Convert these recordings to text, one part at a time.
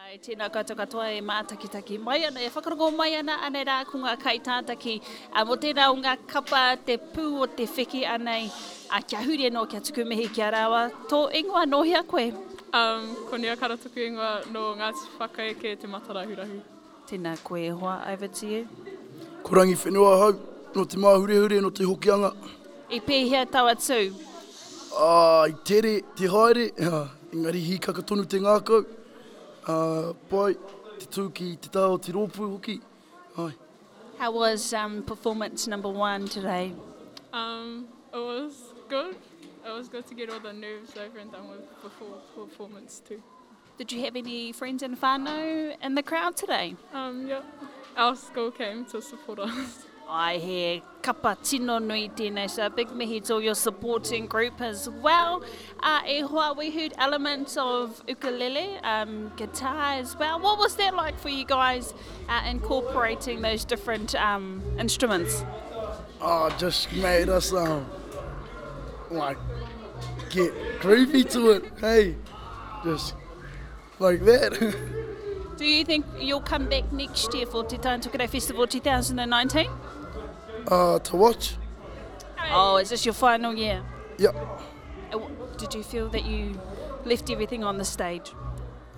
Ai, tēnā koutou katoa e mātakitaki mai ana, e whakarongo mai ana, anei rā ko ngā kaitātaki mō tērā o ngā kapa te pū o te wheke anei, ā, kia huri anō, kia tuku mihi ki a rāua. Tō ingoa, nō hea koe? Um, ko Nia Kara toku ingoa, nō Ngāti Whakaeke Te Matarahurahu. Tēnā koe e hoa, over to you. Ko Rangiwhenua ahau, nō Te Māhurehure, nō Te Hokianga. I pēhea taua tū? Ā, i tere te haere, engari hīkaka tonu te ngākau. Ā, pai te tū ki te taha o te rōpū hoki, āe. How was um, performance number one today? Um, it was good. It was good to get all the nerves over and done with before performance two. Did you have any friends and whānau in the crowd today? Um, yeah. Our school came to support us. Ai, he kapa tino nui tēnei, so a big mihi to your supporting group as well. Uh, e hoa, we heard elements of ukulele, um, guitar as well. What was that like for you guys uh, incorporating those different um, instruments? Oh, just made us um, like get groovy to it, hey. Just like that. Do you think you'll come back next year for Te Tai Tokerau Festival 2019? Uh, to watch. Oh, is this your final year? Yep. Uh, did you feel that you left everything on the stage?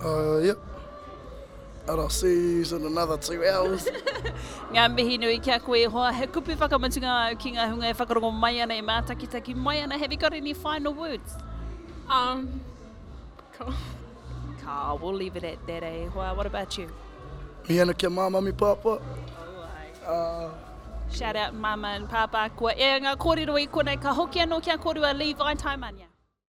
Uh, yep. And I'll see you in another two hours. Ngā mihi nui ki a koe e hoa. He kupu whakamutunga au ki ngā hunga e whakarongo mai ana, e mātakitaki mai ana. Have you got any final words? Um, Ka. Ka, we'll leave it at that, eh, hoa. What about you? Mihi ana ki a Māmā me Pāpā. Uh, Shout out Mama and Pāpā. Kua ea ngā kōrero i konei. Ka hoki anō ki a kōrua Levi Taimania.